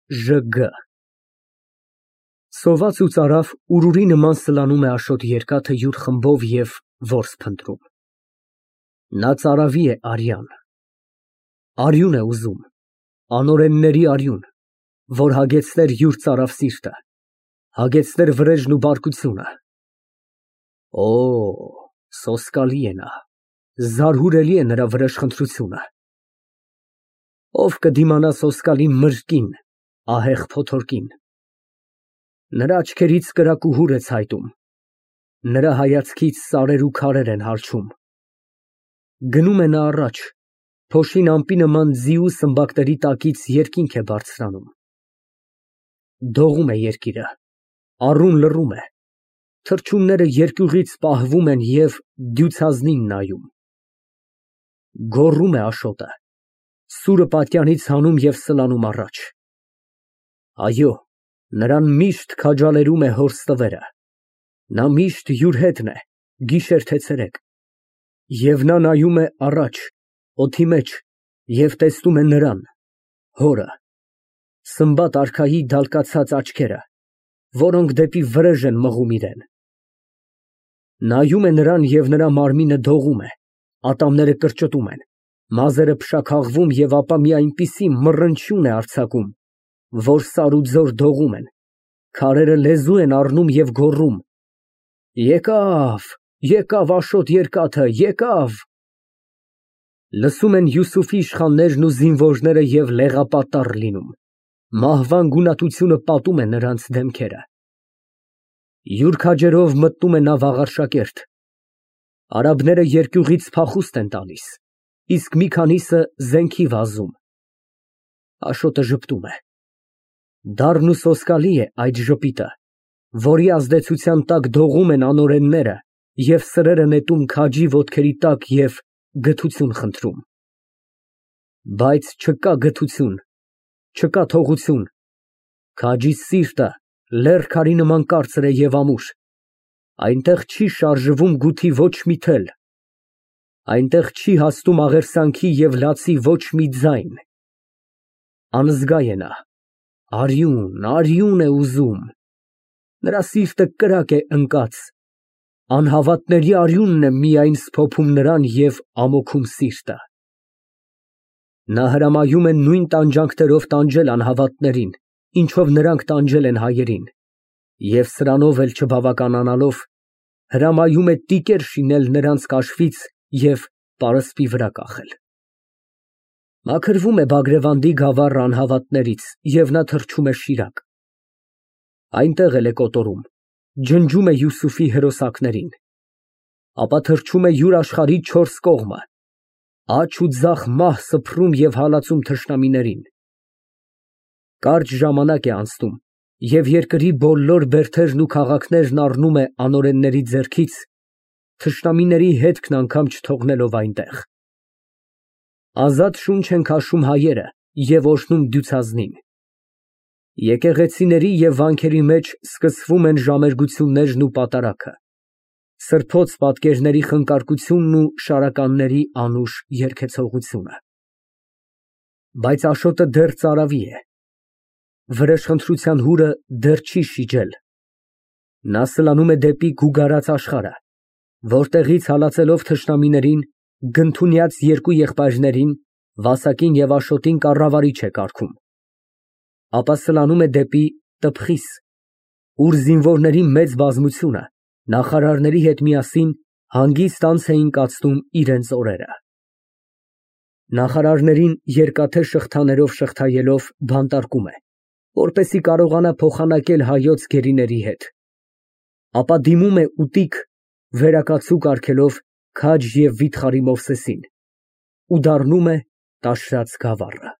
ԺԳ Սոված ու ծարավ ուրուրի նման սլանում է Աշոտ երկաթը յուր խմբով և որս փնտրում։ Նա ծարավի է արյան։ Արյուն է ուզում, անօրենների արյուն, որ հագեցներ յուր ծարավ սիրտը, հագեցներ վրեժն ու բարկությունը։ Օ, սոսկալի է նա, զարհուրելի է նրա վրեժխնդրությունը։ Ով կդիմանա սոսկալի մրրկին, ահեղ փոթորկին։ Նրա աչքերից կրակ ու հուր է ցայտում, նրա հայացքից սարեր ու քարեր են հալչում։ Գնում է նա առաջ, փոշին ամպի նման ձիու սմբակների տակից երկինք է բարձրանում։ Դողում է երկիրը, առուն լռում է, թռչունները երկյուղից պահվում են և դյուցազնին նայում։ Գոռում է Աշոտը, սուրը պատյանից հանում և սլանում առաջ։ Այո, նրան միշտ քաջալերում է հոր ստվերը, նա միշտ յուր հետն է, գիշեր թե ցերեկ, և նա նայում է առաջ, օդի մեջ և տեսնում է նրան, հորը, Սմբատ արքայի դալկացած աչքերը, որոնք դեպի վրեժ են մղում իրան։ Նայում է նրան և նրա մարմինը դողում է, ատամները կրճտում են, մազերը փշաքաղվում և ապա մի այնպիսի մռնչյուն է արձակում, որ սար ու ձոր դողում են, քարերը լեզու են առնում և գոռում. Եկավ Աշոտ երկաթը, եկավ։ Լսում են Յուսուֆի իշխաններն ու զինվորները և լեղապատառ լինում, մահվան գունատությունը պատում է նրանց դեմքերը։ Յուր քաջերով մտնում է նա վաղարշակերտ, արաբները երկյուղից փախուստ են տալիս, իսկ մի քանիսը զենքի վազում։ Աշոտը ժպտում է։ Դառն ու սոսկալի է այդ ժպիտը, որի ազդեցության տակ դողում են անօրենները և սրերը նետում քաջի ոտքերի տակ և գթություն խնդրում։ Բայց չկա գթություն, չկա թողություն, քաջի սիրտը լեռ քարի նման կարծր է և ամուր, այնտեղ չի շարժվում գութի ոչ մի թել, այնտեղ չի հասնում աղերսանքի և լացի ոչ մի ձայն։ Անզգա է նա, արյուն է ուզում, նրա սիրտը կրակ է ընկած, անհավատների արյունն է միայն սփոփում նրան և ամոքում սիրտը։ Նա հրամայում է նույն տանջանքներով տանջել անհավատներին, ինչով նրանք տանջել են հայերին, և սրանով էլ չբավականանալով, հրամայում է տիկեր շինել նրանց կաշվից և պարսպի վրա կախել։ Մաքրվում է Բագրևանդի գավառը անհավատներից և նա թռչում է Շիրակ։ Այնտեղ էլ է կոտորում, ջնջում է Յուսուֆի հրոսակներին, ապա թռչում է յուր աշխարհի չորս կողմը, աջ ու ձախ մահ սփռում և հալածում թշնամիներին։ Կարճ ժամանակ է անցնում, և երկրի բոլոր բերդերն ու քաղաքներն առնում է անօրենների ձեռքից, թշնամիների հետքն անգամ չթողնելով այնտեղ։ Ազատ շունչ են քաշում հայերը և օրհնում դյուցազնին։ Եկեղեցիների և վանքերի մեջ սկսվում են ժամերգություններն ու պատարագը, սրբոց պատկերների խնկարկությունն ու շարականների անուշ երգեցողությունը։ Բայց Աշոտը դեռ ծարավի է, վրեժխնդրության հուրը դեռ չի շիջել։ Նա սլանում է դեպի գուգարած աշխարհը, որտեղից հալածելով թշնամիներին, գնդունյաց երկու եղբայրներին, Վասակին և Աշոտին կառավարիչ է կարգում, ապա սլանում է դեպի Տփխիս, ուր զինվորների մեծ բազմությունը նախարարների հետ միասին հանգիստ անց էին կացնում իրենց օրերը։ Նախարարներին երկաթե շղթաներով շղթայելով բանտարկում է, որպեսզի կարողանա փոխանակել հայոց գերիների հետ, ապա դիմում է ուտիկ վերակացու կարգելով քաջ և վիթխարի Մովսեսին ու դառնում է տաշրած գավառը։